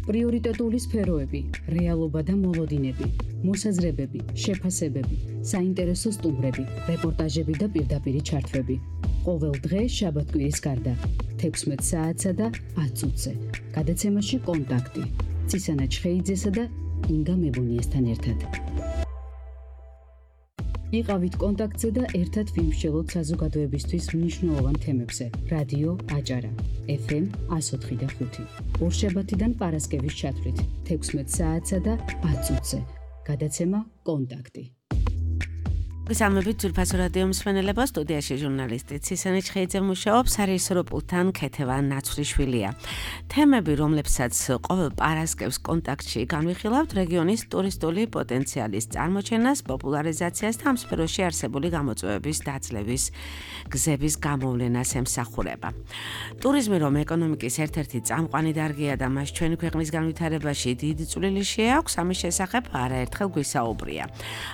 პრიორიტეტული სფეროები, რეალობა და მოლოდინები, მოსაზრებები, შეფასებები, საინტერესო სტუმრები, რეპორტაჟები და პირდაპირი ჩართვები. ყოველ დღე შაბათ-კვირის გარდა 16 საათსა და 10 წუთზე. გადაცემაში კონტაქტი. ცისანა ჩხეიძესა და ინგა მებუნიესთან ერთად. იყავით კონტაქტზე და ერთად ვიმსჯელოთ საზოგადოებისთვის მნიშვნელოვან თემებზე. რადიო აჭარა, FM 104.5. ორშაბათიდან პარასკევის ჩათვლით 16 საათსა და 10 წუთზე. გადაცემა კონტაქტი. გესალმებით ძვირფასო რადიო მსმენელებო, სტუდიაში ჟურნალისტი ცისანა ჩხეიძე მუშაობს, სარეჟისორო პულტთან ქეთევან ნაცვლიშვილია. თემები, რომლებსაც ყოველ პარასკევს კონტაქტში განვიხილავთ, რეგიონის ტურისტული პოტენციალის წარმოჩენას, პოპულარიზაციას და ამ სფეროში არსებული გამოწვევების დაძლევის გზების გამოვლენას ემსახურება. ტურიზმი, რომ ეკონომიკის ერთ-ერთი წამყვანი დარგია და მას ჩვენი ქვეყნის განვითარებაში დიდი წვლილი შეაქვს, ამის შესახებ არაერთხელ გვისაუბრია.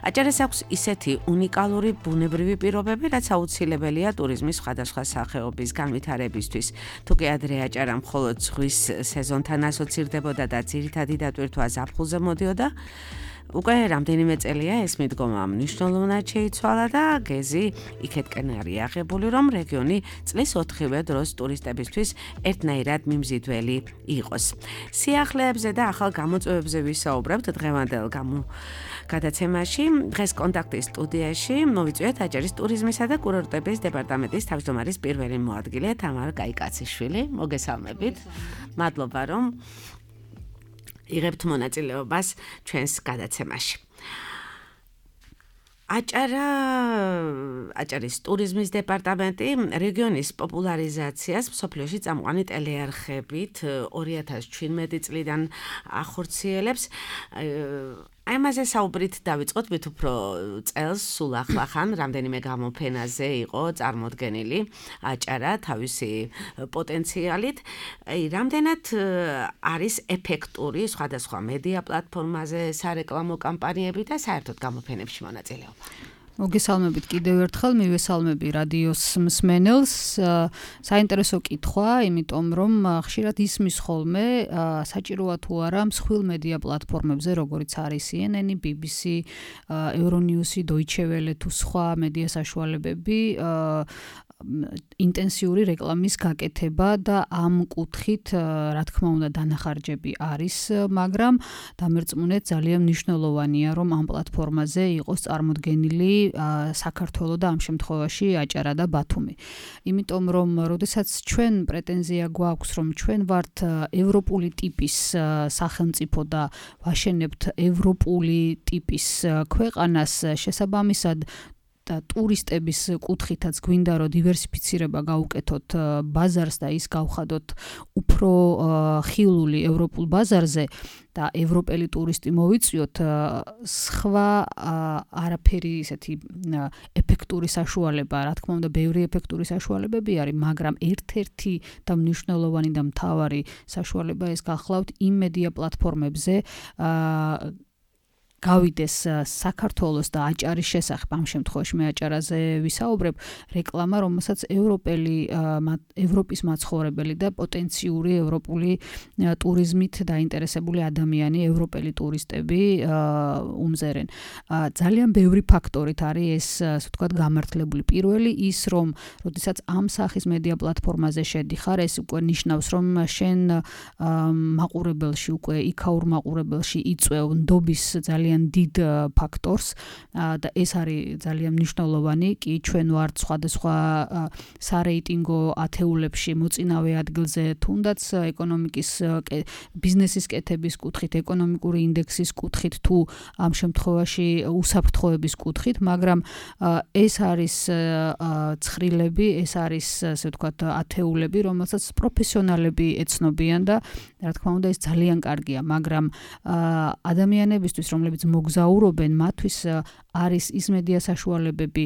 აჭარას აქვს ისეთი უნიკალური ბუნებრივი პირობები, რაც აუცილებელია ტურიზმის სხვადასხვა სახეობის განვითარებისთვის. თუკი ადრე აჭარა მხოლოდ ზღვის სეზონთან ასოცირდებოდა და ძირითადი დატვირთვა ზაფხულზე მოდიოდა, უკვე რამდენიმე წელია ეს მიდგომა მნიშვნელოვნად შეიცვალა და გეზი იქეთკენ არის აღებული, რომ რეგიონი წლის 4-ვე დროს ტურისტებისთვის ერთნაირად მიმზიდველი იყოს. სიახლეებზე და ახალ გამოწვევებზე ვისაუბრებთ დღევანდელ გადაცემაში. დღეს კონტაქტის სტუდიაში მოვიწვიეთ აჭარის ტურიზმისა და კურორტების დეპარტამენტის თავმჯდომარის პირველი მოადგილე თამარა კაიკაციშვილი. მოგესალმებით. მადლობა, რომ იღებთ მონაწილეობას ჩვენს გადაცემაში. აჭარის ტურიზმის დეპარტამენტი რეგიონის პოპულარიზაციას მსოფლიოში წამყვანი ტელეარხებით 2017 წლიდან ახორციელებს. ამაზე საუბრით დავიწყოთ, მით უფრო წელს სულ ახლახან რამდენიმე გამოფენაზე იყო წარმოდგენილი აჭარა თავისი პოტენციალით. რამდენად არის ეფექტური სხვადასხვა მედია პლატფორმაზე სარეკლამო კამპანიები და საერთოდ გამოფენებში მონაწილეობა? მოგესალმებით კიდევ ერთხელ, მივესალმები რადიოს მსმენელს. საინტერესო კითხვა, იმიტომ რომ ხშირად ისმის ხოლმე საჭიროა თუ არა მსხვილ მედია პლატფორმებზე, როგორიც არის CNN, BBC, Euronews, Deutsche Welle თუ სხვა მედია საშუალებები ინტენსიური რეკლამის გაკეთება და ამ კუთხით, რა თქმა უნდა, დანახარჯები არის, მაგრამ დამერწმუნეთ ძალიან მნიშვნელოვანია, რომ ამ პლატფორმაზე იყოს წარმოდგენილი საქართველო და ამ შემთხვევაში აჭარა და ბათუმი. იმიტომ რომ, როდესაც ჩვენ პრეტენზია გვაქვს, რომ ჩვენ ვართ ევროპული ტიპის სახელმწიფო და ვაშენებთ ევროპული ტიპის ქვეყანას, შესაბამისად და ტურისტების კუთხითაც გვინდა რომ დივერსიფიცირება გავუკეთოთ ბაზარს და ის გავხადოთ უფრო ხილული ევროპულ ბაზარზე და ევროპელი ტურისტი მოვიწვიოთ, სხვა არაფერი ისეთი ეფექტური საშუალება, რა თქმა უნდა, ბევრი ეფექტური საშუალებები არის, მაგრამ ერთ-ერთი და მნიშვნელოვანი და მთავარი საშუალება ეს გახლავთ იმ მედია პლატფორმებზე, გავიდეს საქართველოს და აჭარის შესახებ, ამ შემთხვევაში მე აჭარაზე ვისაუბრებ, რეკლამა, რომელსაც ევროპის მაცხოვრებელი და პოტენციური ევროპული ტურიზმით დაინტერესებული ადამიანი, ევროპელი ტურისტები უმზერენ. ძალიან ბევრი ფაქტორით არის ეს, ასე ვთქვათ, გამართლებული. პირველი ის, რომ როდესაც ამ სახის მედია პლატფორმაზე შედიხარ, ეს უკვე ნიშნავს, რომ შენ მაყურებელში, უკვე იქაურ მაყურებელში იწვევ ნდობის ძალიან დიდ ფაქტორს და ეს არის ძალიან მნიშვნელოვანი. კი ჩვენ ვართ სხვადასხვა სარეიტინგო ათეულებში მოწინავე ადგილზე, თუნდაც ეკონომიკის ბიზნესის კეთების კუთხით, ეკონომიკური ინდექსის კუთხით თუ ამ შემთხვევაში უსაფრთხოების კუთხით, მაგრამ ეს არის ცხრილები, ეს არის, ასე ვთქვათ, ათეულები, რომელსაც პროფესიონალები ეცნობიან და რა თქმა უნდა ეს ძალიან კარგია, მაგრამ ადამიანებისთვის, რომლებიც მოგზაურობენ, მათთვის არის ის მედია საშუალებები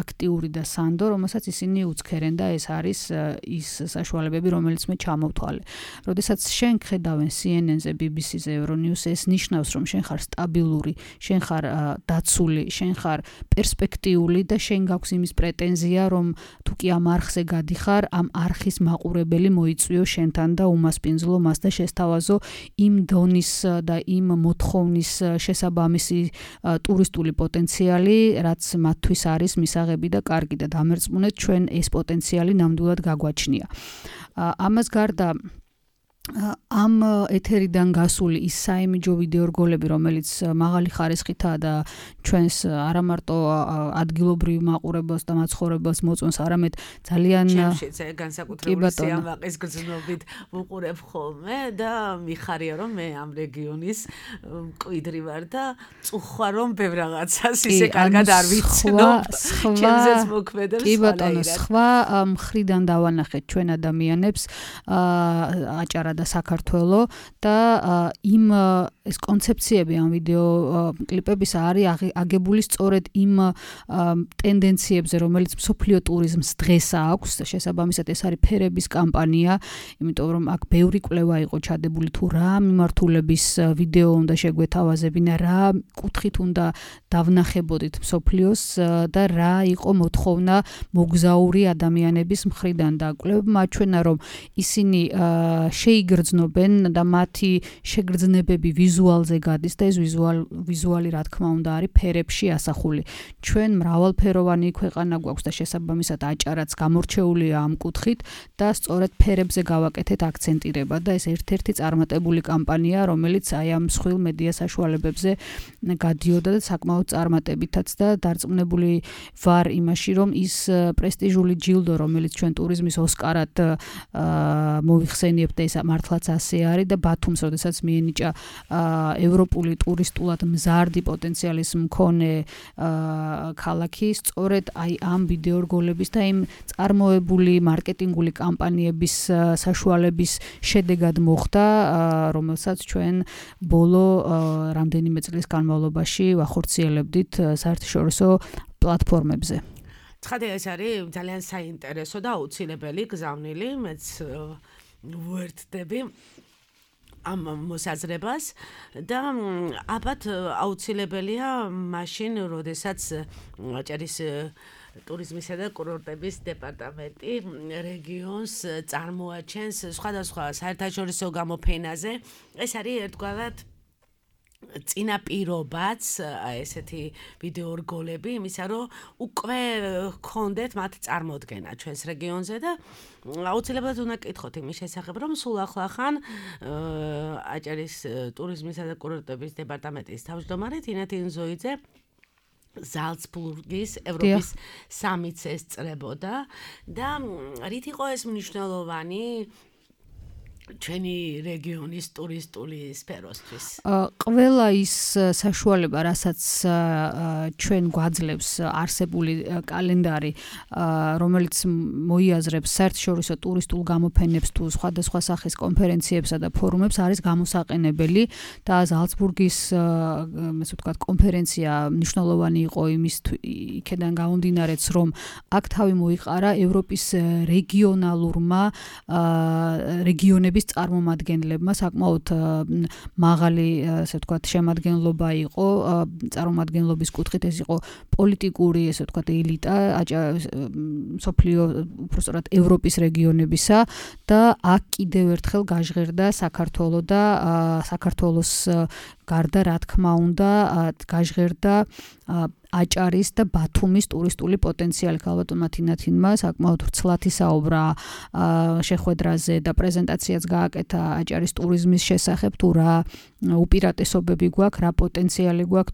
აქტიური და სანდო, რომელსაც ისინი უცქერენ და ეს არის ის საშუალებები, რომელიც მე ჩამოვთვალე. როდესაც შენ ხედავენ CNN-ზე, BBC-ზე, Euronews-ზე, ეს ნიშნავს, რომ შენ ხარ სტაბილური, შენ ხარ დაცული, შენ ხარ პერსპექტიული და შენ გაქვს იმის პრეტენზია, რომ თუ კი ამ არხზე გადიხარ, ამ არხის მაყურებელი მოიწვიო შენთან და უმასპინძლო მას და შესთავაზო იმ დონის და იმ მოთხოვნის შესაბამისი ტურისტული პოტენციალი, რაც მათთვის არის მისაღები და კარგი და დამერწმუნეთ ჩვენ ეს პოტენციალი ნამდვილად გაგვაჩნია. ამას გარდა ამ ეთერიდან გასული ის საიმიჯო ვიდეო რგოლები, რომელიც მაღალი ხარისხითაა და ჩვენს არა მარტო ადგილობრივ მაყურებელს და მაცხოვრებელს მოწონს, არამედ ძალიან განსაკუთრებული სიამაყის გრძნობით ვუყურებ ხოლმე და მიხარია, რომ მე ამ რეგიონის მკვიდრი ვარ და წუხვა რომ ბევრ რაღაცას ისე კარგად არ ვიცნობ. ჩემზეც მოქმედებს. კი ბატონო, სხვა მხრიდან დავანახეთ ჩვენ ადამიანებს აჭარა და საქართველო და იმ ეს კონცეფციები ამ ვიდეო კლიპების არის აგებული სწორედ იმ ტენდენციებზე, რომელიც მსოფლიო ტურიზმს დღეს აქვს. შესაბამისად ეს არის ფერების კამპანია, იმიტომ რომ აქ ბევრი კვლევა იყო ჩადებული თუ რა მიმართულების ვიდეო უნდა შეგვეთავაზებინა, რა კუთხით უნდა დავნახებოდით მსოფლიოს და რა იყო მოთხოვნა მოგზაური ადამიანების მხრიდან და კვლევებმა აჩვენა, რომ ისინი შეიგრძნობენ და მათი შეგრძნებები ვიზუალზე გადის და ეს ვიზუალი რა თქმა უნდა არის ფერებში ასახული. ჩვენ მრავალფეროვანი ქვეყანა გვაქვს და შესაბამისად აჭარაც გამორჩეულია ამ კუთხით და სწორედ ფერებზე გავაკეთეთ აქცენტირება და ეს ერთ-ერთი წარმატებული კამპანია, რომელიც აი ამ მსხვილ მედია საშუალებებზე გადიოდა და საკმაოდ წარმატებითაც და დარწმუნებული ვარ იმაში, რომ ის პრესტიჟული ჯილდო, რომელიც ჩვენ ტურიზმის ოსკარად მოვიხსენიებთ და ეს მართლაც ასე არის და ბათუმს, როდესაც მიენიჭა ევროპული ტურისტულად მზარდი პოტენციალის მქონე ქალაქი, სწორედ აი ამ ვიდეო რგოლების და იმ წარმოებული მარკეტინგული კამპანიების საშუალების შედეგად მოხდა, რომელსაც ჩვენ ბოლო რამდენიმე წლის განმავლობაში ვახორციელებდით საერთაშორისო პლატფორმებზე. ცხადია, ეს არის ძალიან საინტერესო და აუცილებელი გზავნილი, მეც ვუერთდები ამ მოსაზრებას და ალბათ აუცილებელია მაშინ, როდესაც აჭარის ტურიზმისა და კურორტების დეპარტამენტი რეგიონს წარმოაჩენს სხვადასხვა საერთაშორისო გამოფენაზე. ეს არის ერთგვარად წინაპირობაც ესეთი ვიდეო რგოლები იმისა, რომ უკვე გქონდეთ მათ წარმოდგენა ჩვენს რეგიონზე და აუცილებლად უნდა კითხოთ იმის შესახებ, რომ სულ ახლახან აჭარის ტურიზმისა და კურორტების დეპარტამენტის თავმჯდომარე თინა თინზოიძე ზალცბურგის ევროპის სამიტს ესწრებოდა და რით იყო ეს მნიშვნელოვანი ჩვენი რეგიონის ტურისტული სფეროსთვის? ყველა ის საშუალება, რასაც ჩვენ გვაძლევს არსებული კალენდარი, რომელიც მოიაზრებს საერთაშორისო ტურისტულ გამოფენებს თუ სხვადასხვა სახის კონფერენციებსა და ფორუმებს, არის გამოსაყენებელი და ზალცბურგის ესე ვთქვათ კონფერენცია მნიშვნელოვანი იყო იმის იქედან გამომდინარეც, რომ აქ თავი მოიყარა ევროპის რეგიონალურმა რეგიონების წარმომადგენლებმა საკმაოდ მაღალი, ასე ვთქვათ, შემადგენლობა იყო წარმომადგენლობის კუთხით, ეს იყო პოლიტიკური, ასე ვთქვათ, ელიტა მსოფლიო, უბრალოდ ევროპის რეგიონებისა და აქ კიდევ ერთხელ გაჟღერდა საქართველო და საქართველოს გარდა, რა თქმა უნდა, გაჟღერდა აჭარის და ბათუმის ტურისტული პოტენციალი. ქალბატონმა თინათინმა საკმაოდ ვრცლად ისაუბრა შეხვედრაზე და პრეზენტაციაც გააკეთა აჭარის ტურიზმის შესახებ, თუ რა უპირატესობები გვაქვს, რა პოტენციალი გვაქვს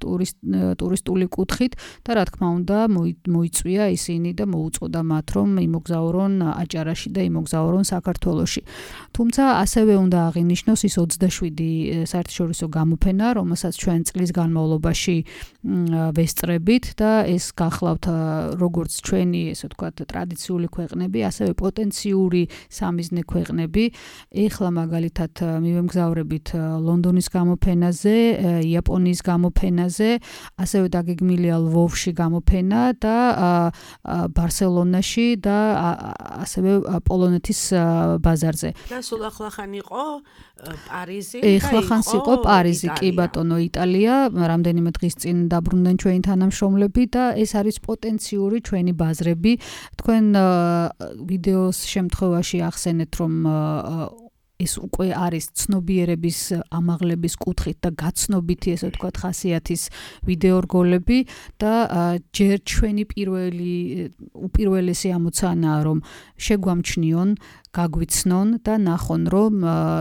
ტურისტული კუთხით და რა თქმა უნდა მოიწვია ისინი და მოუწოდა მათ, რომ იმოგზაურონ აჭარაში და იმოგზაურონ საქართველოში. თუმცა ასევე უნდა აღინიშნოს ის 27 საერთაშორისო გამოფენა, რომელსაც ჩვენ წლის განმავლობაში ვესწრებით და ეს გახლავთ როგორც ჩვენი, ესე ვთქვათ, ტრადიციული ქვეყნები, ასევე პოტენციური სამიზნე ქვეყნები. ეხლა მაგალითად მივემგზავრებით ლონდონის გამოფენაზე, იაპონიის გამოფენაზე, ასევე დაგეგმილია ლვოვში გამოფენა და ბარსელონაში და ასევე პოლონეთის ბაზარზე. და სულ ახლახან იყო პარიზი. ახლახანს იყო პარიზი, კი ბატონო, იტალია, რამდენიმე დღის წინ დაბრუნდნენ ჩვენი თანამშრომლები და ეს არის პოტენციური ჩვენი ბაზრები. თქვენ ვიდეოს შემთხვევაში ახსენეთ, რომ ეს უკვე არის ცნობიერების ამაღლების კუთხით და გაცნობითი, ესე ვთქვათ, ხასიათის ვიდეო რგოლები და ჯერ ჩვენი უპირველესი ამოცანაა, რომ შეგვამჩნიონ, გაგვიცნონ და ნახონ, რომ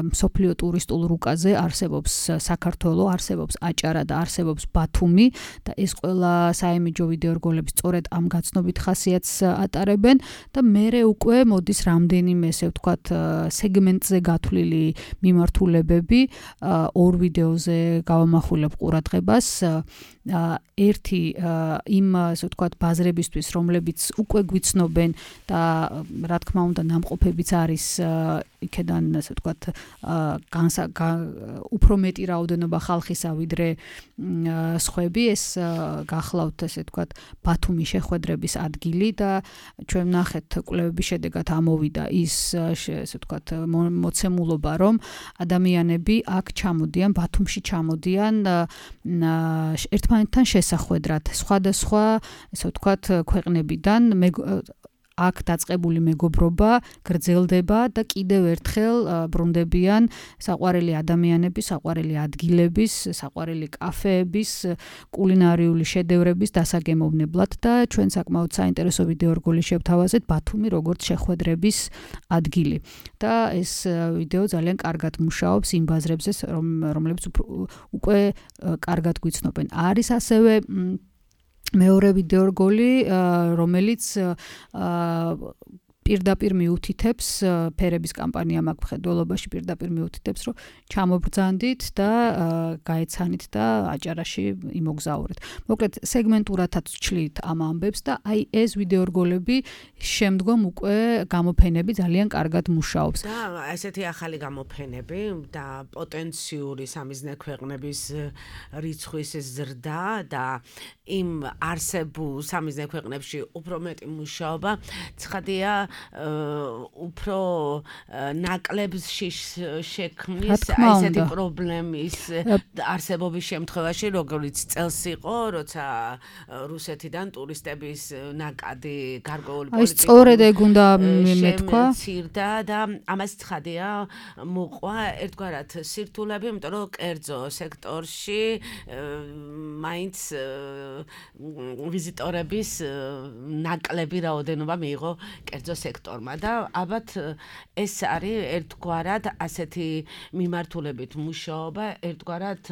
მსოფლიო ტურისტულ რუკაზე არსებობს საქართველო, არსებობს აჭარა და არსებობს ბათუმი და ეს ყველა საიმიჯო ვიდეო რგოლები სწორედ ამ გაცნობით ხასიათს ატარებენ და მერე უკვე მოდის რამდენიმე, ესე ვთქვათ, სეგმენტზე გათვლილი მიმართულებები, ორ ვიდეოზე გავამახვილებ ყურადღებას. ერთი იმ, ესე ვთქვათ, ბაზრებისთვის, რომლებიც უკვე გვიცნობენ და რა თქმა უნდა ნამყოფებიც არის იქედან, ესე ვთქვათ, უფრო მეტი რაოდენობა ხალხისა ვიდრე სხვები. ეს გახლავთ, ესე ვთქვათ, ბათუმი შეხვედრების ადგილი და ჩვენ ნახეთ კვლევების შედეგად ამოვიდა ის, ესე ვთქვათ, მოცემულობა, რომ ადამიანები აქ ჩამოდიან, ბათუმში ჩამოდიან ერთმანეთთან შესახვედრად, სხვადასხვა, ესე ვთქვათ, ქვეყნებიდან აქ დაწყებული მეგობრობა გრძელდება და კიდევ ერთხელ ბრუნდებიან საყვარელი ადამიანების, საყვარელი ადგილების, საყვარელი კაფეების, კულინარიული შედევრების დასაგემოვნებლად და ჩვენ საკმაოდ საინტერესო ვიდეო რგოლი შევთავაზეთ ბათუმი როგორც შეხვედრების ადგილი. და ეს ვიდეო ძალიან კარგად მუშაობს იმ ბაზრებზე, რომლებიც უკვე კარგად გვიცნობენ. არის ასევე მეორე ვიდეო რგოლი, რომელიც პირდაპირ მიუთითებს ფერების კამპანია მაგ მხედველობაში პირდაპირ მიუთითებს, რომ ჩამობრძანდით და გაეცანით და აჭარაში იმოგზაურეთ. მოკლედ სეგმენტურადაც ვჩლით ამ ამბებს და აი ეს ვიდეო რგოლები შემდგომ უკვე გამოფენები ძალიან კარგად მუშაობს. და ესეთი ახალი გამოფენები და პოტენციური სამიზნე ქვეყნების რიცხვის ზრდა და იმ არსებულ სამიზნე ქვეყნებში უფრო მეტი მუშაობა ცხადია უფრო ნაკლებში შექმნის ესეთი პრობლემის არსებობის შემთხვევაში, როგორც წელს იყო, როცა რუსეთიდან ტურისტების ნაკადი გარკვეული პოლიტიკური სწორედ ეგ უნდა მეთქვა და ამას ცხადია მოყვა ერთგვარად სირთულები, იმიტომ რომ კერძო სექტორში მაინც ვიზიტორების ნაკლები რაოდენობა მიიღო კერძო სექტორმა და ალბათ ეს არის ერთგვარად ასეთი მიმართულებით მუშაობა, ერთგვარად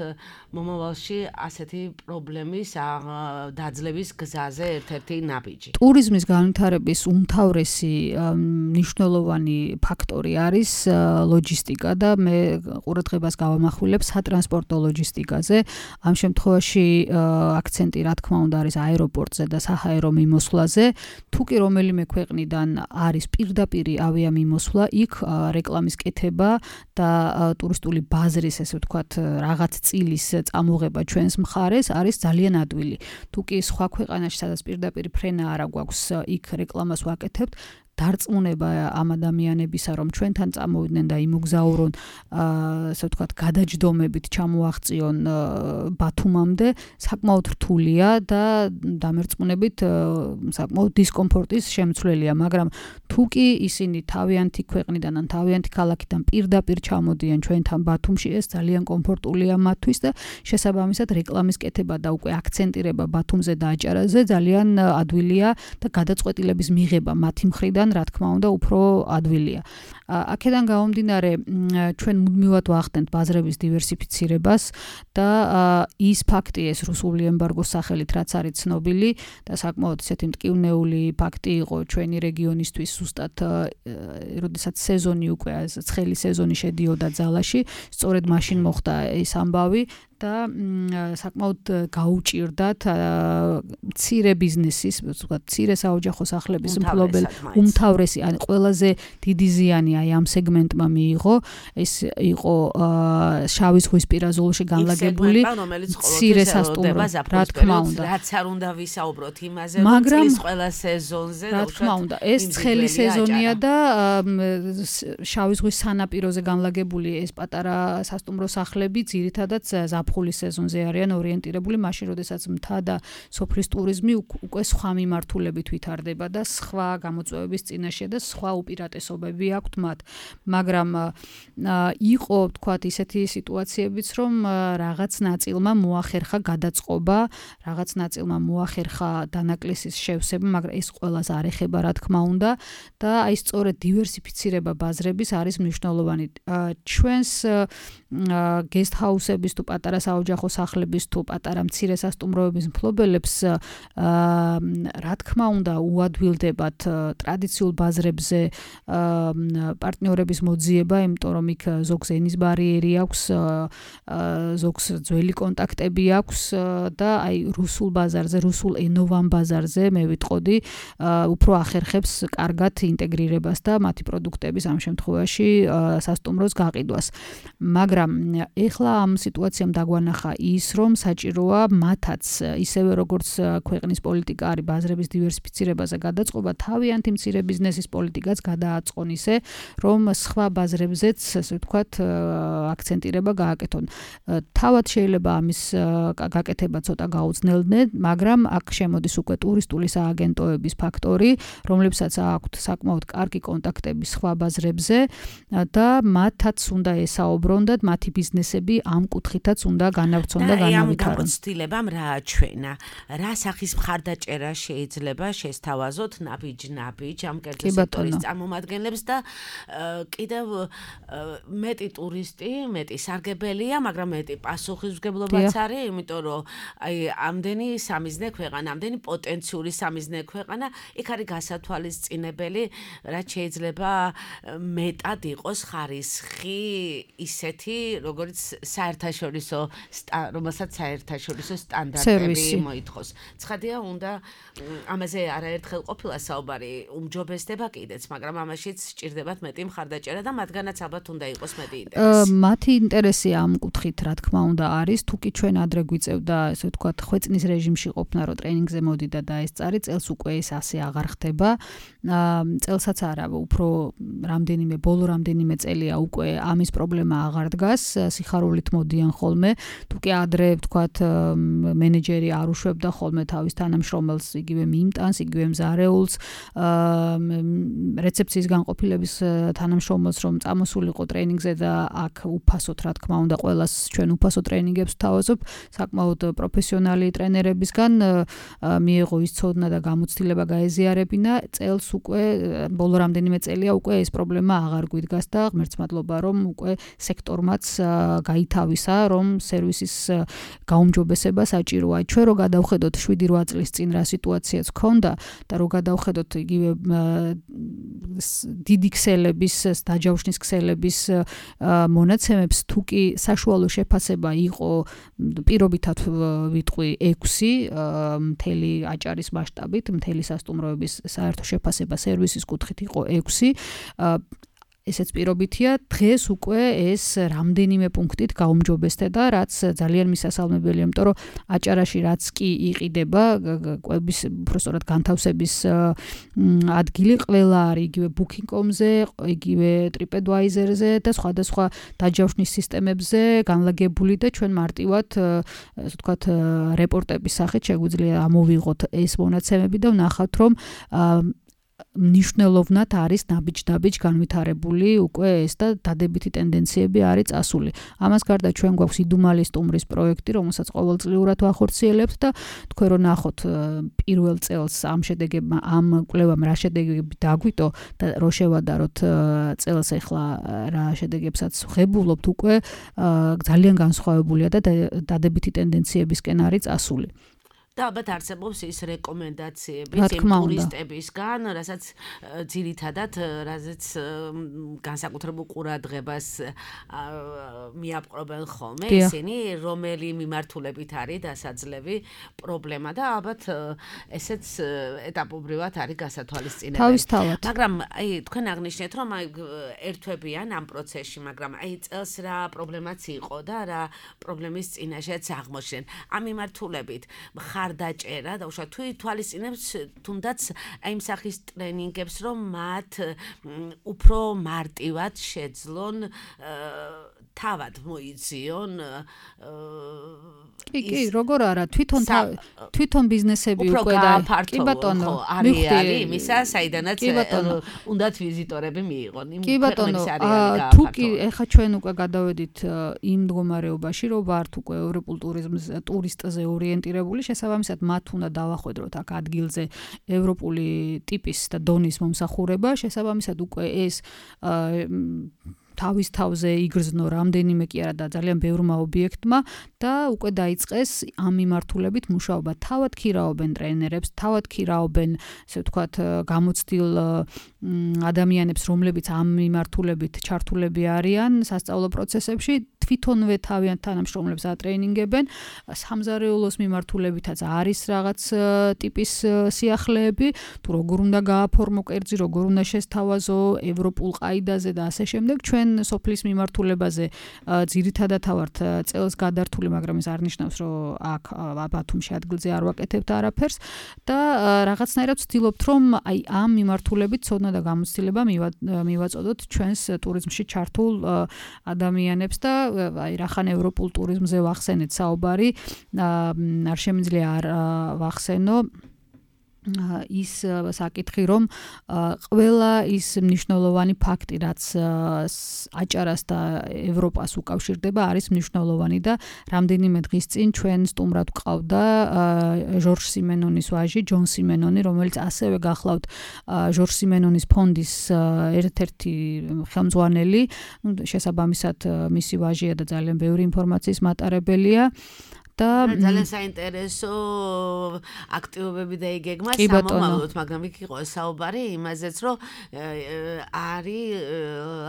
მომავალში ასეთი პრობლემის დაძლევის გზაზე ერთ-ერთი ნაბიჯი. ტურიზმის განვითარების უმთავრესი მნიშვნელოვანი ფაქტორი არის ლოჯისტიკა და მე ყურადღებას გავამახვილებ სატრანსპორტო ლოჯისტიკაზე. ამ შემთხვევაში აქცენტი რა თქმა უნდა არის აეროპორტზე და საჰაერო მიმოსვლაზე. თუ კი რომელიმე ქვეყნიდან არის პირდაპირი ავიამიმოსვლა, იქ რეკლამის კეთება და ტურისტული ბაზრის, ესე ვთქვათ, რაღაც წილის წამოღება ჩვენს მხარეს არის ძალიან ადვილი. თუ კი სხვა ქვეყანაში, სადაც პირდაპირი ფრენა არ გვაქვს, იქ რეკლამას ვაკეთებთ, დარწმუნება ამ ადამიანებისა, რომ ჩვენთან წამოვიდნენ და იმოგზაურონ, ასე ვთქვათ, გადაჯდომებით ჩამოაღწიონ ბათუმამდე, საკმაოდ რთულია და დამერწმუნებით საკმაოდ დისკომფორტის შემცვლელია, მაგრამ თუ კი ისინი თავიანთი ქვეყნიდან ან თავიანთი ქალაქიდან პირდაპირ ჩამოდიან ჩვენთან ბათუმში, ეს ძალიან კომფორტულია მათთვის და შესაბამისად რეკლამის კეთება და უკვე აქცენტირება ბათუმზე და აჭარაზე ძალიან ადვილია და გადაწყვეტილების მიღება მათი მხრიდან რა თქმა უნდა უფრო ადვილია. აქედან გამომდინარე ჩვენ მუდმივად ვახდენთ ბაზრების დივერსიფიცირებას და ის ფაქტი ეს რუსული ემბარგოს სახელით რაც არის ცნობილი და საკმაოდ ისეთი მტკივნეული ფაქტი იყო ჩვენი რეგიონისთვის ზუსტად როდესაც სეზონი უკვე ცხელი სეზონი შედიოდა ძალაში, სწორედ მაშინ მოხდა ეს ამბავი და საკმაოდ გაუჭირდათ მცირე ბიზნესის, ვთქვათ, მცირე საოჯახო სახლების მფლობელ უმთავრესი, ან ყველაზე დიდი ზიანი აი ამ სეგმენტმა მიიღო. ეს იყო შავი ზღვის პირაზოლში განლაგებული მცირე სასტუმრო, რა თქმა უნდა. რაც არ უნდა ვისაუბროთ იმაზე, რომ წლის ყველა სეზონზე, რა თქმა უნდა, ეს ცხელი სეზონია და შავი ზღვის სანაპიროზე განლაგებული ეს პატარა სასტუმრო სახლები ძირითადად ზაფხულის სეზონზე არიან ორიენტირებული, მაშინ როდესაც მთა და სოფლის ტურიზმი უკვე სხვა მიმართულებით ვითარდება და სხვა გამოწვევების წინაშე და სხვა უპირატესობები აქვთ მათ. მაგრამ იყო, თქვათ, ისეთი სიტუაციებიც, რომ რაღაც ნაწილმა მოახერხა გადაწყობა, რაღაც ნაწილმა მოახერხა დანაკლისის შევსება, მაგრამ ეს ყველას არ ეხება, რა თქმა უნდა, და აი სწორედ დივერსიფიცირება ბაზრების არის მნიშვნელოვანი. ჩვენს guest house-ების თუ პატარა საოჯახო სახლების თუ პატარა მცირე სასტუმროების მფლობელებს რა თქმა უნდა უადვილდებათ ტრადიციულ ბაზრებზე პარტნიორების მოძიება, იმიტომ რომ იქ ზოგს ენის ბარიერი აქვს, ზოგს ძველი კონტაქტები აქვს და აი რუსულ ბაზარზე, რუსულ ენოვან ბაზარზე მე ვიტყოდი, უფრო ახერხებს კარგად ინტეგრირებას და მათი პროდუქტების ამ შემთხვევაში სასტუმროს გაყიდვას. მაგრამ ეხლა ამ სიტუაციამ დაგვანახა ის, რომ საჭიროა მათაც ისევე როგორც ქვეყნის პოლიტიკა არის ბაზრების დივერსიფიცირებაზე გადაწყობა, თავიანთი მცირე ბიზნესის პოლიტიკაც გადააწყონ ისე, რომ სხვა ბაზრებზეც, ასე ვთქვათ, აქცენტირება გააკეთონ. თავად შეიძლება ამის გაკეთება ცოტა გაუძნელდნენ, მაგრამ აქ შემოდის უკვე ტურისტული სააგენტოების ფაქტორი, რომლებსაც აქვთ საკმაოდ კარგი კონტაქტები სხვა ბაზრებზე და მათაც უნდა ესაუბრონ და მათი ბიზნესები ამ კუთხითაც უნდა განავრცონ და განავითარონ. ამ გამოცდილებამ რა აჩვენა? რა სახის მხარდაჭერა შეიძლება შესთავაზოთ ნაბიჯ ამ კერძო სექტორის წარმომადგენლებს და კიდევ მეტი ტურისტი, მეტი სარგებელია, მაგრამ მეტი პასუხისმგებლობაც არის, იმიტომ რომ აი ამდენი სამიზნე ქვეყანა, ამდენი პოტენციური სამიზნე ქვეყანა, იქ არის გასათვალისწინებელი, რაც შეიძლება მეტად იყოს ხარისხი ისეთი, როგორც საერთაშორისო რომელსაც საერთაშორისო სტანდარტები მოითხოვს. ცხადია, უნდა ამაზე არაერთხელ ყოფილა საუბარი, უმჯობესდება კიდეც, მაგრამ ამაშიც სჭირდებათ მეტი მხარდაჭერა და მათგანაც ალბათ უნდა იყოს მეტი ინტერესი. მათი ინტერესი ამ კუთხით, რა თქმა უნდა, არის, თუ კი ჩვენ ადრე გვიწევდა, ესე ვთქვათ, ხვეწნის რეჟიმში ყოფნა, რომ ტრენინგზე მოდიდა და ეს წარი, წელს უკვე ეს ასე აღარ ხდება. წელსაც არა, უფრო ბოლო რამდენიმე წელია უკვე ამის პრობლემა აღარ დგას, სიხარულით მოდიან ხოლმე, თუ კი ადრე, ვთქვათ, მენეჯერი არ უშვებდა ხოლმე თავის თანამშრომელს, იგივე მიმტანს, იგივე მზარეულს, რეცეფციის განყოფილების თანამშრომელს, რომ წამოსულიყო ტრენინგზე და აქ უფასოდ, რა თქმა უნდა, ყველას ჩვენ უფასო ტრენინგებს ვთავაზობ, საკმაოდ პროფესიონალი ტრენერებისგან მიიღო ის ცოდნა და გამოცდილება გაეზიარებინა, წელს უკვე ბოლო რამდენიმე წელია უკვე ეს პრობლემა აღარ გვიდგას და ღმერთს მადლობა, რომ უკვე სექტორმაც გაითავისა, რომ სერვისის გაუმჯობესება საჭიროა. ჩვენ რო გადავხედოთ 7-8 წლის წინ რა სიტუაციაც ჰქონდა და რო გადავხედოთ იგივე დიდი ქსელების, დაჯავშნის ქსელების მონაცემებს, თუ კი საშუალო შეფასება იყო პირობითად ვიტყვი 6 მთელი აჭარის მასშტაბით, მთელი სასტუმროების საერთო შეფასება სერვისის კუთხით იყო 6. ესეც პირობითია, დღეს უკვე ეს რამდენიმე პუნქტით გაუმჯობესდება, რაც ძალიან მისასალმებელია, იმიტომ რომ აჭარაში რაც კი იყიდება, კვების, უბრალოდ განთავსების ადგილი ყველა არის იგივე Booking.com-ზე, იგივე TripAdvisor-ზე და სხვადასხვა დაჯავშნის სისტემებზე განლაგებული და ჩვენ მარტივად, ასე ვთქვათ, რეპორტების სახით შეგვიძლია ამოვიღოთ ეს მონაცემები და ვნახავთ, რომ მნიშვნელოვნად არის ნაბიჯ-დაბიჯ განვითარებული უკვე ეს და დადებითი ტენდენციები არის წასული. ამას გარდა ჩვენ გვაქვს იდუმალი სტუმრის პროექტი, რომელსაც ყოველწლიურად ვახორციელებთ და თქვენ რო ნახოთ პირველ წელს ამ კვლევამ რა შედეგები დაგვიტო და რო შევადაროთ წელს ახლა რა შედეგებსაც ვღებულობთ, უკვე ძალიან განსხვავებულია და დადებითი ტენდენციებისკენ არის წასული. და ალბათ არსებობს ის რეკომენდაციები იმ ტურისტებისგან, რასაც ძირითადად რაზეც განსაკუთრებულ ყურადღებას მიაპყრობენ ხოლმე ისინი, რომელი მიმართულებით არის დასაძლევი პრობლემა და ალბათ ესეც ეტაპობრივად არის გასათვალისწინებელი. თავისთავად. მაგრამ თქვენ აღნიშნეთ, რომ ერთვებიან ამ პროცესში, მაგრამ წელს რა პრობლემაც იყო და რა პრობლემის წინაშეც აღმოჩნდნენ. ამ მიმართულებით მხარდაჭერა და უშუალოდ თუ ითვალისწინებს თუნდაც იმ სახის ტრენინგებს, რომ მათ უფრო მარტივად შეძლონ თავად მოიძიონ კი, როგორ არა, თვითონ ბიზნესები უკვე და კი ბატონო, არის იმისა, საიდანაც უნდათ ვიზიტორები მიიღონ. კი ბატონო, თუ კი ეხა ჩვენ უკვე გადავედით იმ მდგომარეობაში, რომ ვართ უკვე ევროპულ ტურისტზე ორიენტირებული, შესაბამისად მათ უნდა დავახვედროთ აქ ადგილზე ევროპული ტიპის და დონის მომსახურება, შესაბამისად უკვე ეს თავის თავზე იგრძნო რამდენიმე კი არა და ძალიან ბევრმა ობიექტმა და უკვე დაიწყეს ამ მიმართულებით მუშაობა. თავად ქირაობენ ტრენერებს, თავად ქირაობენ, ესე ვთქვათ, გამოცდილ ადამიანებს, რომლებიც ამ მიმართულებით ჩართულები არიან სასწავლო პროცესებში, თვითონვე თავიანთ თანამშრომლებს ატრეინინგებენ. სამზარეულოს მიმართულებითაც არის რაღაც ტიპის სიახლეები, თუ როგორ უნდა გააფორმო კერძი, როგორ უნდა შესთავაზო ევროპულ ყაიდაზე და ასე შემდეგ. ჩვენ სოფლის მიმართულებაზე ძირითადად ვართ წელს გადართული, მაგრამ ეს არ ნიშნავს, რომ აქ ბათუმში ადგილზე არ ვაკეთებთ არაფერს და რაღაცნაირად ვცდილობთ, რომ აი ამ მიმართულებით ცოდნა და გამოცდილება მივაწოდოთ ჩვენს ტურიზმში ჩართულ ადამიანებს და აი რახან ევროპულ ტურიზმზე ვახსენეთ საუბარი, არ შემიძლია არ ვახსენო ის საკითხი, რომ ყველა ის მნიშვნელოვანი ფაქტი, რაც აჭარას და ევროპას უკავშირდება, არის მნიშვნელოვანი და რამდენიმე დღის წინ ჩვენ სტუმრად ვყავდა ჟორჟ სიმენონის ვაჟი, ჯონ სიმენონი, რომელიც ასევე გახლავთ ჟორჟ სიმენონის ფონდის ერთ-ერთი ხელმძღვანელი, შესაბამისად მისი ვაჟია და ძალიან ბევრი ინფორმაციის მატარებელია. და ძალიან საინტერესო აქტივობები დაიგეგმა სამომავლოდ, მაგრამ იქ იყო საუბარი იმაზეც, რომ არის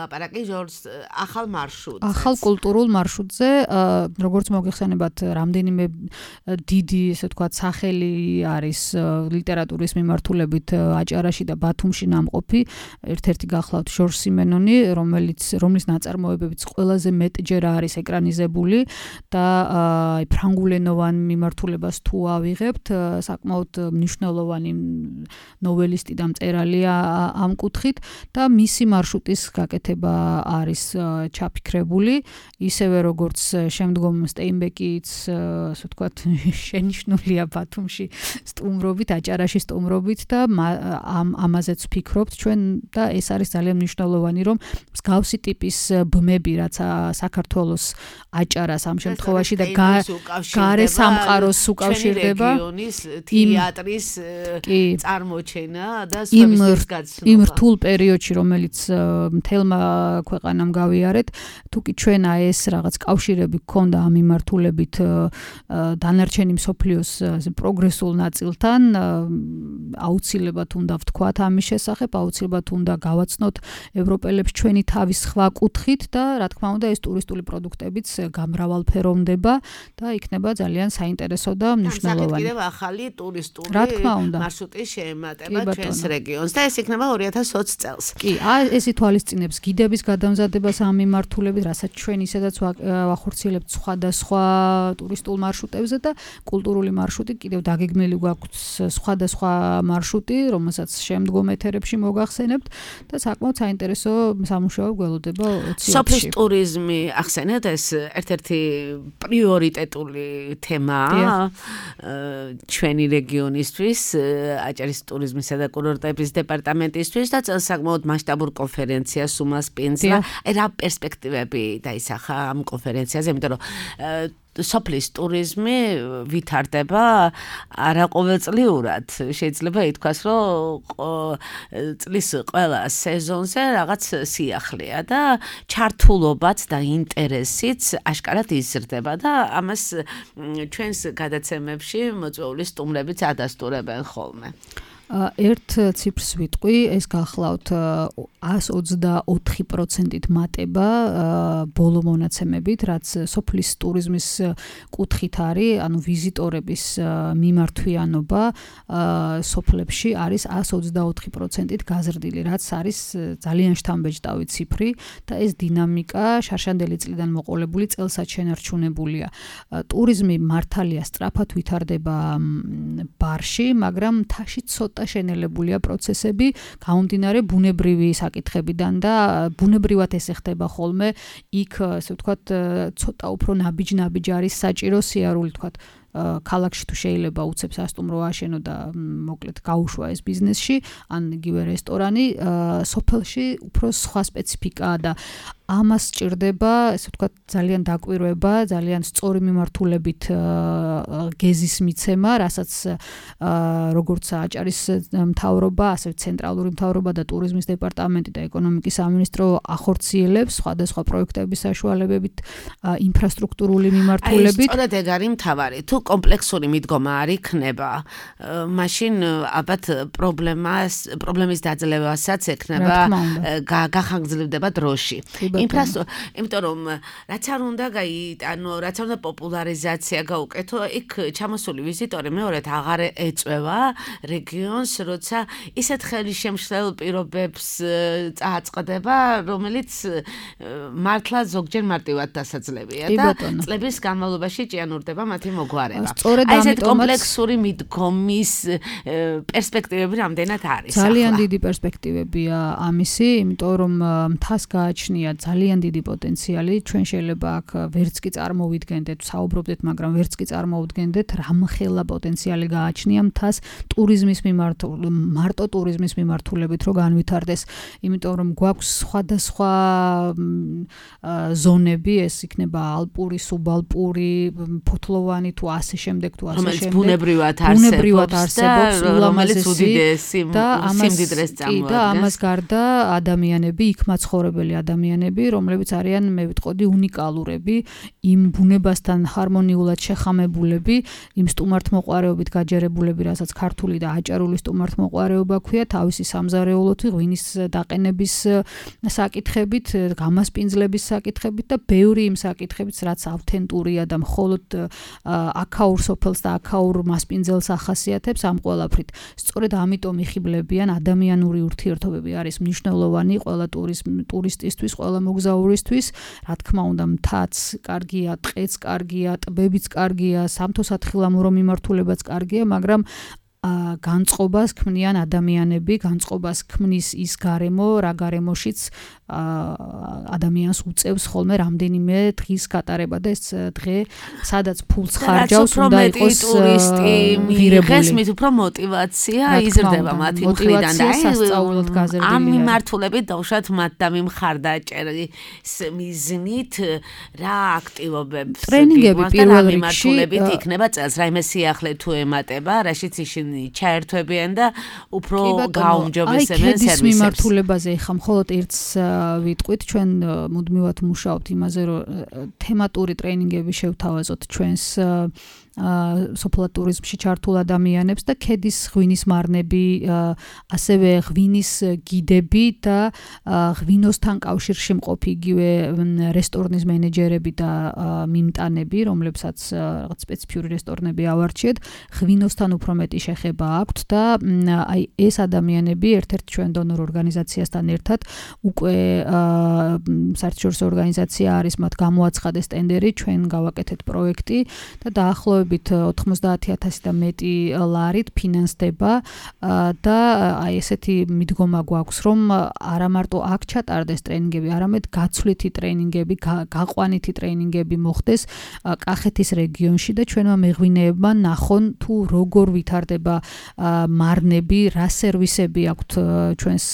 ლაპარაკი ჟორჟს ახალ მარშრუტზე. ახალ კულტურულ მარშრუტზე, როგორც მოგეხსენებათ, რამდენიმე დიდი, ესე ვთქვათ, სახელი არის ლიტერატურის მიმართულებით აჭარაში და ბათუმში ნამყოფი. ერთ-ერთი გახლავთ ჟორჟ სიმენონი, რომლის ნაწარმოებებიც ყველაზე მეტჯერ არის ეკრანიზებული და ფრანგულენოვან მიმართულებას თუ ავიღებთ, საკმაოდ მნიშვნელოვანი ნოველისტი და მწერალია ამ კუთხით და მისი მარშრუტის გაკეთება არის ჩაფიქრებული, ისევე როგორც შემდგომ სტეინბეკიც, ასე ვთქვათ, შენიშნულია ბათუმში სტუმრობით, აჭარაში სტუმრობით და ამაზეც ვფიქრობთ ჩვენ და ეს არის ძალიან მნიშვნელოვანი, რომ მსგავსი ტიპის ბმები, რაც საქართველოს აჭარას ამ შემთხვევაში და გარე სამყაროს უკავშირდება რეგიონის თეატრის წარმოჩენა და სხვების გაცნობა. იმ რთულ პერიოდში, რომელიც მთელმა ქვეყანამ გავიარეთ, თუკი ჩვენ ეს რაღაც კავშირები გქონდა ამ მიმართულებით დანარჩენი მსოფლიოს პროგრესულ ნაწილთან, აუცილებლად უნდა ვთქვათ ამის შესახებ, აუცილებლად უნდა გავაცნოთ ევროპელებს ჩვენი თავის სხვა კუთხით და რა თქმა უნდა ეს ტურისტული პროდუქტებიც გამრავალფეროვნება და იქნება ძალიან საინტერესო და მნიშვნელოვანი. კიდევ ახალი ტურისტული მარშრუტის შეემატება ჩვენს რეგიონს და ეს იქნება 2020 წელს. კი, ეს ითვალისწინებს გიდების გადამზადებას ამ მიმართულებით, რასაც ჩვენ ისედაც ვახორციელებთ სხვადასხვა ტურისტულ მარშრუტებზე და კულტურული მარშრუტი კიდევ დაგეგმილი გვაქვს სხვადასხვა მარშრუტი, რომელსაც შემდგომ ეთერებში მოგახსენებთ და საკმაოდ საინტერესო სამუშაო გველოდება 2020-ში. სოფლის ტურიზმი ახსენეთ, ეს ერთ-ერთი პრიორიტეტული თემაა ჩვენი რეგიონისთვის, აჭარის ტურიზმისა და კურორტების დეპარტამენტისთვის და წელს საკმაოდ მასშტაბურ კონფერენციას უმასპინძლა. რა პერსპექტივები დაისახა ამ კონფერენციაზე, იმიტომ რომ სოფლის ტურიზმი ვითარდება არაყოველწლიურად. შეიძლება ითქვას, რომ წლის ყველა სეზონზე რაღაც სიახლეა და ჩართულობაც და ინტერესიც აშკარად იზრდება და ამას ჩვენს გადაცემებში მოწვეული სტუმრებიც ადასტურებენ ხოლმე. ერთ ციფრს ვიტყვი, ეს გახლავთ 124%-ით მატება ბოლო მონაცემებით, რაც სოფლის ტურიზმის კუთხით არის, ანუ ვიზიტორების მიმართვიანობა სოფლებში არის 124%-ით გაზრდილი, რაც არის ძალიან შთამბეჭდავი ციფრი და ეს დინამიკა შარშანდელი წლიდან მოყოლებული წელსაც შენარჩუნებულია. ტურიზმი მართალია სწრაფად ვითარდება ბარში, მაგრამ მთაში ცოტა შენელებულია პროცესები, გამომდინარე ბუნებრივი საკითხებიდან და ბუნებრივად ეს ხდება ხოლმე, იქ ასე ვთქვათ, ცოტა უფრო ნაბიჯ არის საჭირო სიარული, ვთქვათ, ქალაქში თუ შეიძლება უცებ სასტუმრო აშენო და მოკლედ გაუშვა ეს ბიზნესში, ან იგივე რესტორანი, სოფელში უფრო სხვა სპეციფიკაა და ამას სჭირდება, ესე ვთქვათ, ძალიან დაკვირვება, ძალიან სწორი მიმართულებით გეზის მიცემა, რასაც როგორც აჭარის მთავრობა, ასევე ცენტრალური მთავრობა და ტურიზმის დეპარტამენტი და ეკონომიკის სამინისტრო ახორციელებს სხვადასხვა პროექტების საშუალებებით, ინფრასტრუქტურული მიმართულებით. სწორედ ეგ არის მთავარი. თუ კომპლექსური მიდგომა არ იქნება, მაშინ ალბათ პრობლემის დაძლევასაც ექნება, გახანგრძლივდება დროში. იმიტომ რომ რაც არ უნდა რაც არ უნდა პოპულარიზაცია გაუკეთო, იქ ჩამოსული ვიზიტორი მეორედ აღარ ეწვევა რეგიონს, როცა ისეთ ხელისშემშლელ პირობებს წააწყდება, რომელიც მართლა ზოგჯერ მარტივად დასაძლებია და წლების განმავლობაში ჭიანურდება მათი მოგვარება. აი ესეთ კომპლექსური მიდგომის პერსპექტივები რამდენად არის? ძალიან დიდი პერსპექტივებია ამისი, იმიტომ რომ მთას გააჩნია ძალიან დიდი პოტენციალი, ჩვენ შეიძლება აქ ვერც კი წარმოვიდგენდეთ, საუბრობდეთ, მაგრამ ვერც კი წარმოვიდგენდეთ, რამხელა პოტენციალი გააჩნია მთას ტურიზმის მარტო ტურიზმის მიმართულებით რო განვითარდეს, იმიტომ რომ გვაქვს სხვადასხვა ზონები, ეს იქნება ალპური, სუბალპური, ფოთლოვანი თუ ასე შემდეგ თუ ასე შემდეგ. ბუნებრივად არსებობს რომელიც უდიდესი სიმდიდრეს წარმოადგენს. და ამას გარდა ადამიანები, იქ მაცხოვრებელი ადამიანები, რომლებიც არიან, მე ვიტყოდი, უნიკალურები, იმ ბუნებასთან ჰარმონიულად შეხამებულები, იმ სტუმართმოყვარეობით გაჯერებულები, რასაც ქართული და აჭარული სტუმართმოყვარეობა ქვია, თავისი სამზარეულოთი, ღვინის დაყენების საკითხებით, გამასპინძლების საკითხებით და ბევრი იმ საკითხებით, რაც ავთენტურია და მხოლოდ აქაურ სოფელს და აქაურ მასპინძელს ახასიათებს ამ ყველაფრით. სწორედ ამიტომ იხიბლებიან ადამიანური ურთიერთობები არის მნიშვნელოვანი ყველა ტურისტისთვის, ყველა მოგზაურისთვის, რა თქმა უნდა, მთაც კარგია, ტყეც კარგია, ტბებიც კარგია, სამთო-სათხილამურო მიმართულებაც კარგია, მაგრამ განწყობას ქმნიან ადამიანები, განწყობას ქმნის ის გარემო, რა გარემოშიც ადამიანს უწევს ხოლმე რამდენიმე დღის გატარება და ეს დღე, სადაც ფულს ხარჯავს, უნდა იყოს მიღეს მით უფრო мотиваცია იზრდება მათი მხრიდან და სასწაულად გაზრდილია. ამ მიმართულებით დავუშვათ მათ და მიმხარდაჭერის მიზნით რა აქტივობებს ტრენინგები პირველ რიგში იქნება წელს, რაიმე სიახლე თუ ემატება, რაშიც ისინი ჩაერთვებიან და უფრო გაუმჯობესებენ სერვისებს. აი, მიმართულებაზე ხა მხოლოდ ერთს ვიტყვით, ჩვენ მუდმივად მუშაობთ იმაზე, რომ თემატური ტრენინგები შევთავაზოთ ჩვენს სოფლად ტურიზმში ჩართულ ადამიანებს და ქედის ღვინის მარნები, ასევე ღვინის გიდები და ღვინოსთან კავშირში მყოფი იგივე რესტორნის მენეჯერები და მიმტანები, რომლებსაც რაღაც სპეციფიური რესტორნები ავარჩიეთ, ღვინოსთან უფრო მეტი შეხება აქვთ და აი ეს ადამიანები ერთ-ერთ ჩვენ დონორ ორგანიზაციასთან ერთად უკვე საერთაშორისო ორგანიზაცია არის, მათ გამოაცხადეს ტენდერი, ჩვენ გავაკეთეთ პროექტი და დაახლოებით 90,000 და მეტი ლარით ფინანსდება და აი ესეთი მიდგომა გვაქვს, რომ არა მარტო აქ ჩატარდეს ტრენინგები, არამედ გაცვლითი ტრენინგები, გაყვანითი ტრენინგები მოხდეს კახეთის რეგიონში და ჩვენმა მეღვინეებმა ნახონ თუ როგორ ვითარდება მარნები, რა სერვისები აქვთ ჩვენს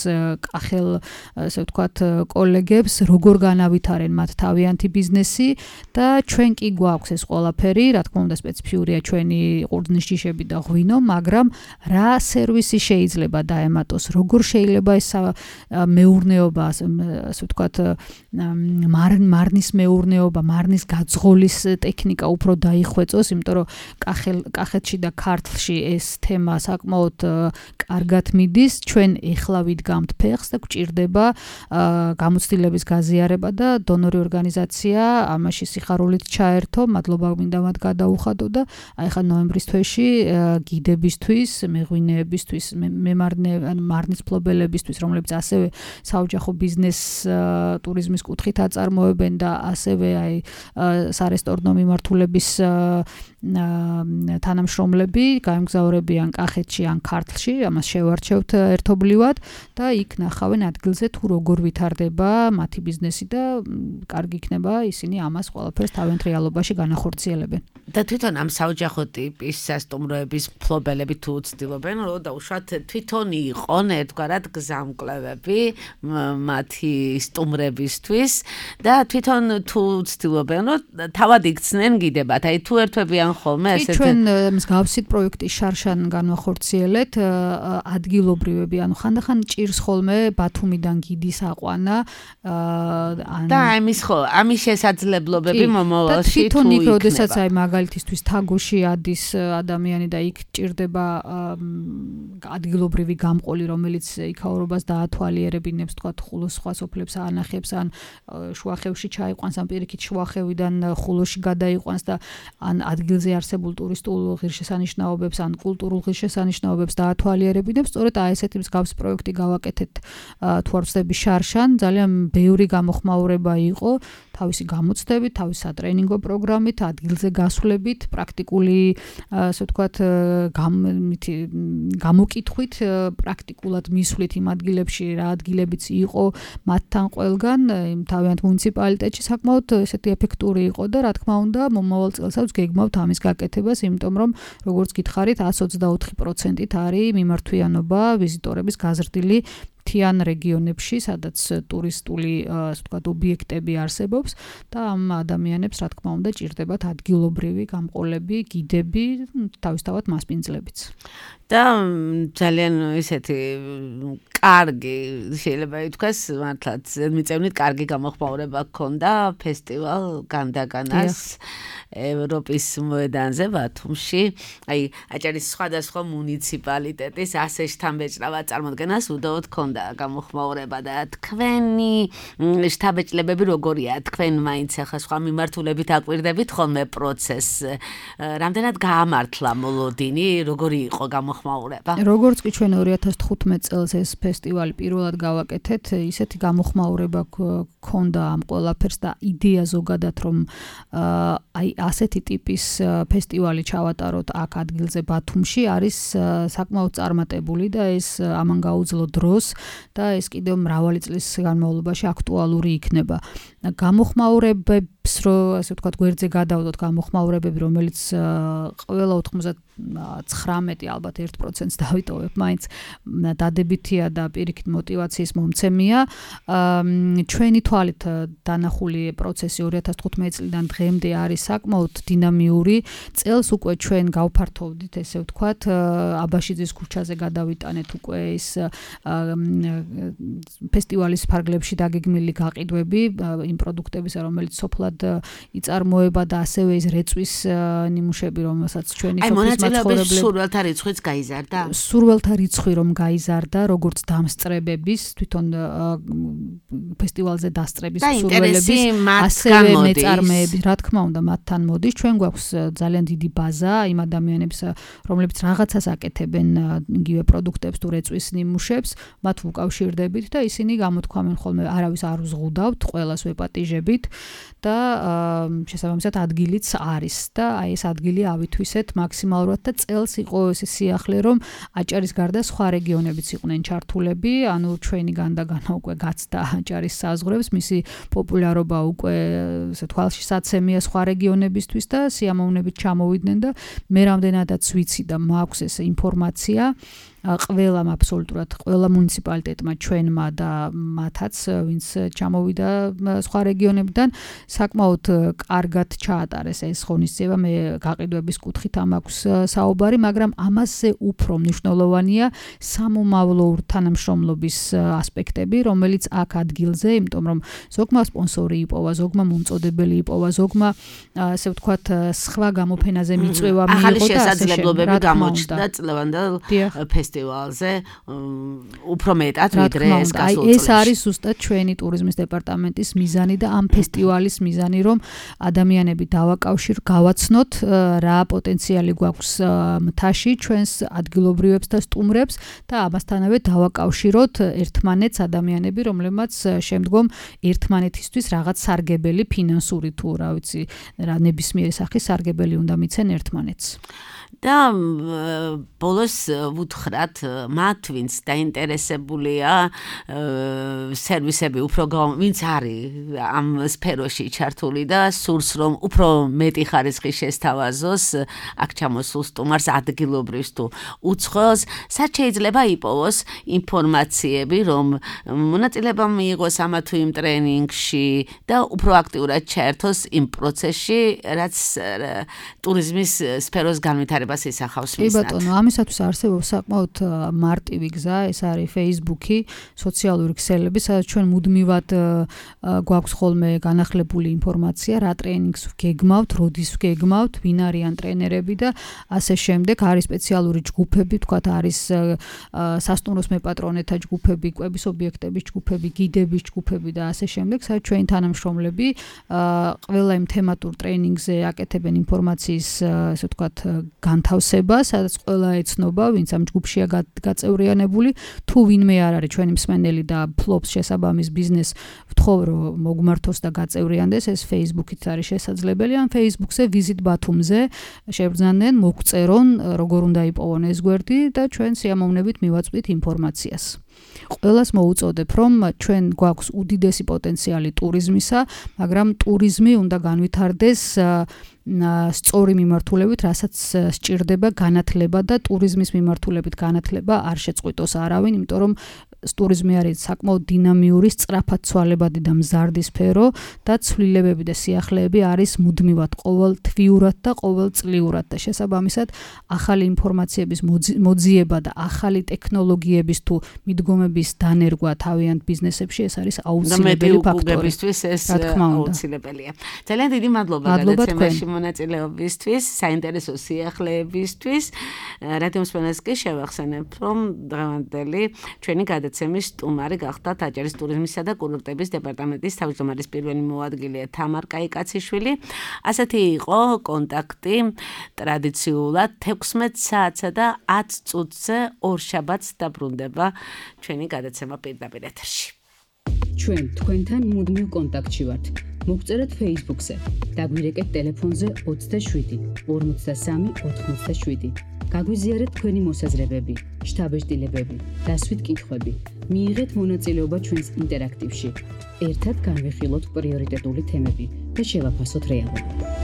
კახელ, ასე ვთქვათ, კოლეგებს, როგორ განავითარენ მათ თავიანთი ბიზნესი და ჩვენ კი გვაქვს ეს ყველაფერი, რა თქმა უნდა სპეციფიურია ჩვენი ყურძნის ჯიშები და ღვინო, მაგრამ რა სერვისი შეიძლება დაემატოს, როგორ შეიძლება ეს მეურნეობა, ასე ვთქვათ, მარნის მეურნეობა, მარნის გაძღოლის ტექნიკა უფრო დაიხვეწოს, იმიტომ რომ კახეთში და ქართლში ეს თემა საკმაოდ კარგად მიდის, ჩვენ ეხლა ვიდგამთ ფეხს და გვჭირდება გამოცდილების გაზიარება და დონორი ორგანიზაცია ამაში სიხარულით ჩაერთო, მადლობა მინდა მათ გადაუხადო და აი ხა ნოემბრის თვეში გიდებისთვის, მეღვინეებისთვის, მარნის ფლობელებისთვის, რომლებიც ასევე საოჯახო ბიზნეს ტურიზმის კუთხით აწარმოებენ და ასევე აი სარესტორნო მიმართულების თანამშრომლები გაემგზავრებიან კახეთში ან ქართლში, ამას შევარჩევთ ერთობლივად და იქ ნახავენ ადგილზე თუ როგორ ვითარდება მათი ბიზნესი და კარგი იქნება ისინი ამას ყველაფერს თავიანთ რეალობაში განახორციელებენ. და თვითონ ამ საოჯახო ტიპის სასტუმროების ფლობელები თუ ცდილობენ, რომ დაუშვათ თვითონ იყვნენ ერთგვარად გზამკვლევები მათი სტუმრებისთვის და თვითონ თუ ცდილობენ, რომ თავად იქცნენ გიდებათ. აი თუ ერთვებიან ხოლმე ესეთი ჩვენ მსგავსი პროექტის შარშან განვახორციელეთ ადგილობრივები, ანუ ხანდახან ჭირს ხოლმე ბათუმიდან გიდის აყვანა და ამის შესაძლებლობები მომავალში თუ თვითონ იქ როდესაც აი მაგალითისთვის თაგოში ადის ადამიანი და იქ ჭირდება ადგილობრივი გამყოლი, რომელიც იქაურობას დაათვალიერებინებს, თქვა ხულოს სხვა სოფლებს აანახებს ან შუახევში ჩაიყვანს, ან პირიქით შუახევიდან ხულოში გადაიყვანს და ან ადგილზე არსებულ ტურისტულ ღირსშესანიშნაობებს ან კულტურულ ღირსშესანიშნაობებს დაათვალიერებინებს, სწორედ აი ესეთი მსგავსი პროექტი გავაკეთეთ თუ არ ვცდები შარშან, ძალიან ბევრი გამოხმაურება იყო, თავისი გამოცდებით, თავისი სატრენინგო პროგრამით, ადგილზე გასვლებით, პრაქტიკული, ასე ვთქვათ, გამოკითხვით, პრაქტიკულად მისვლით იმ ადგილებში, რა ადგილებიც იყო მათთან ყველგან, თავიანთ მუნიციპალიტეტში საკმაოდ ესეთი ეფექტური იყო და რა თქმა უნდა, მომავალ წელსაც გეგმავთ ამის გაკეთებას, იმიტომ რომ როგორც გითხარით, 124%-ით არის მიმართვიანობა ვიზიტორების გაზრდილი მთიან რეგიონებში, სადაც ტურისტული, ასე ვთქვათ, ობიექტები არსებობს და ამ ადამიანებს, რა თქმა უნდა, ჭირდებათ ადგილობრივი გამყოლები, გიდები, თავისთავად მასპინძლებიც. და ძალიან ისეთი კარგი, შეიძლება ითქვას, მართლაც მიწევნით კარგი გამოხმაურება გქონდა ფესტივალ განდაგანას ევროპის მოედანზე ბათუმში. აი, აჭარის სხვადასხვა მუნიციპალიტეტის ასე შთამბეჭდავად წარმოდგენას უდავოდ გქონდა გამოხმაურება და თქვენი შთაბეჭდილებები როგორია? თქვენ მაინც ახლა სხვა მიმართულებით აკვირდებით ხოლმე პროცესს. რამდენად გაამართლა მოლოდინი, როგორი იყო გამოხმაურება? როგორც კი ჩვენ 2015 წელს ეს ფესტივალი პირველად გავაკეთეთ, ისეთი გამოხმაურება გქონდა ამ ყველაფერს და იდეა ზოგადად, რომ აი ასეთი ტიპის ფესტივალი ჩავატაროთ აქ ადგილზე ბათუმში, არის საკმაოდ წარმატებული და ეს ამან გაუძლო დროს და ეს კიდევ მრავალი წლის განმავლობაში აქტუალური იქნება. გამოხმაურებებს, ასე ვთქვათ, გვერდზე გადავდოთ გამოხმაურებები, რომელიც ყველა 99 ალბათ 1%-ს დავიტოვებ, მაინც დადებითია და პირიქით мотиваციის მომცემია. ჩვენი თვალით დანახული პროცესი 2015 წლიდან დღემდე არის საკმაოდ დინამიური. წელს უკვე ჩვენ გავფართოვდით, ესე ვთქვათ, აბაშიძის ქუჩაზე გადავიტანეთ უკვე ეს ფესტივალის ფარგლებში დაგეგმილი გაყიდვები იმ პროდუქტებისა, რომელიც სოფლად იწარმოება და ასევე ეს რეწვის ნიმუშები, რომელსაც ჩვენი სოფლის მაცხოვრებლები სურველთა რიცხვიც გაიზარდა? სურველთა რიცხვი რომ გაიზარდა, როგორც დამსწრებების, თვითონ ფესტივალზე დასწრების სურველების, ასევე მეწარმეების, რა თქმა უნდა, მათთან მოდის. ჩვენ გვაქვს ძალიან დიდი ბაზა იმ ადამიანებს, რომლებიც რაღაცას აკეთებენ იგივე პროდუქტებს თუ რეწვის ნიმუშებს, მათ ვუკავშირდებით და ისინი გამოთქვამენ ხოლმე, არავის არ უზღუდავთ, ყველას ვეპატიჟებით და შესაბამისად ადგილიც არის და აი ეს ადგილი ავითვისეთ მაქსიმალურად და წელს იყო ეს სიახლე რომ აჭარის გარდა სხვა რეგიონებიც იყვნენ ჩართულები, ანუ ჩვენი განდაგანა უკვე გაცდა აჭარის საზღვრებს, მისი პოპულარობა უკვე ესე თვალში საცემია სხვა რეგიონებისთვის და სიამოვნებით ჩამოვიდნენ და მე რამდენადაც ვიცი და მაქვს ეს ინფორმაცია ყველამ აბსოლუტურად ყველა მუნიციპალიტეტმა ჩვენმა და მათაც ვინც ჩამოვიდა სხვა რეგიონებიდან საკმაოდ კარგად ჩაატარეს ეს ღონისძიება მე გაყიდვების კუთხით ამაქვს საუბარი მაგრამ ამაზე უფრო მნიშვნელოვანია სამომავლო თანამშრომლობის ასპექტები რომელიც აქ ადგილზე იმიტომ რომ ზოგმა სპონსორი იპოვა ზოგმა მომწოდებელი იპოვა ზოგმა ასე ვთქვათ სხვა გამოფენაზე მიწვევა მიიღო და ასე შესაძლებლობები გამოჩნდა წლევანდელ ფესტივალზე უფრო მეტად ვიდრე ეს გასულ წელს. ეს არის ზუსტად ჩვენი ტურიზმის დეპარტამენტის მიზანი და ამ ფესტივალის მიზანი რომ ადამიანები გავაცნოთ რა პოტენციალი გვაქვს მთაში ჩვენს ადგილობრივებს და სტუმრებს და ამასთანავე დავაკავშიროთ ერთმანეთს ადამიანები რომლებმაც შემდგომ ერთმანეთისთვის რაღაც სარგებელი ფინანსური თუ რა ვიცი რა ნებისმიერი სახის სარგებელი უნდა მიცენ ერთმანეთს. და ბოლოს ვუთხრათ მათ ვინც დაინტერესებულია სერვისები უფრო ვინც არის ამ სფეროში ჩართული და სურს რომ უფრო მეტი ხარისხი შესთავაზოს აქ ჩამოსულ სტუმარს ადგილობრივს თუ უცხოელს სად შეიძლება იპოვოს ინფორმაციები რომ მონაწილეობა მიიღოს ამა თუ იმ ტრენინგში და უფრო აქტიურად ჩაერთოს იმ პროცესში რაც ტურიზმის სფეროს განვითარებას ისახავს მისნად. კი ბატონო, ამისათვის არსებობს საკმაოდ მარტივი გზა, ეს არის Facebook-ი, სოციალური ქსელები, სადაც ჩვენ მუდმივად გვაქვს ხოლმე განახლებული ინფორმაცია, რა ტრენინგს გეგმავთ, როდის გეგმავთ, ვინ არიან ტრენერები და ასე შემდეგ. არის სპეციალური ჯგუფები, თქვათ არის სასტუმროს მეპატრონეთა ჯგუფები, კვების ობიექტების ჯგუფები, გიდების ჯგუფები და ასე შემდეგ, სადაც ჩვენი თანამშრომლები ყველა იმ თემატურ ტრენინგზე აკეთებენ ინფორმაციის, ასე ვთქვათ, განთავსება, სადაც ყველა ეცნობა, ვინც ამ ჯგუფშია გაწევრიანებული, თუ ვინმე არ არის ჩვენი მსმენელი და ფლობს შესაბამის ბიზნესს, ვთხოვ რომ მოგმართოს და გაწევრიანდეს, ეს Facebook-ით არის შესაძლებელი, ან Facebook-ზე ვიზიტ ბათუმზე შევბრძანენ, მოგწერონ, როგორ უნდა იპოვონ ეს გვერდი და ჩვენ სიამოვნებით მივაწვდით ინფორმაციას. ყველას მოუწოდებ, რომ ჩვენ გვაქვს უდიდესი პოტენციალი ტურიზმისა, მაგრამ ტურიზმი უნდა განვითარდეს სწორი მიმართულებით, რასაც სჭირდება განათლება და ტურიზმის მიმართულებით განათლება არ შეწყვიტოს არავინ, იმიტომ რომ ტურიზმი არის საკმაოდ დინამიური, სწრაფად ცვალებადი და მზარდი სფერო და ცვლილებები და სიახლეები არის მუდმივად ყოველთვიურად და ყოველწლიურად და შესაბამისად ახალი ინფორმაციების მოძიება და ახალი ტექნოლოგიების თუ მიდგომების დანერგვა თავიანთ ბიზნესებში ეს არის აუცილებელი ფაქტორი. ეს აუცილებელია. ძალიან დიდი მადლობა გადაცემაში მონაწილეობისთვის, საინტერესო სიახლეებისთვის. რადიო მსმენელს კი შევახსენებ, რომ დღევანდელი ჩვენი გადაცემის სტუმარი გახდათ აჭარის ტურიზმისა და კურორტების დეპარტამენტის თავმჯდომარის პირველი მოადგილე თამარ კაიკაციშვილი. ასეთი იყო კონტაქტი ტრადიციულად 16 საათსა და 10 წუთზე ორშაბათს დაბრუნდება ჩვენი გადაცემა პირდაპირ ეთერში. ჩვენ თქვენთან მუდმივ კონტაქტში ვართ. მოგწერეთ Facebook-ზე, დაგვირეკეთ ტელეფონზე 27 53 87. გაგვიზიარეთ თქვენი მოსაზრებები, შთაბეჭდილებები, დასვით კითხვები. მიიღეთ მონაწილეობა ჩვენს ინტერაქტივში. ერთად განვიხილოთ პრიორიტეტული თემები და შევაფასოთ რეალობა.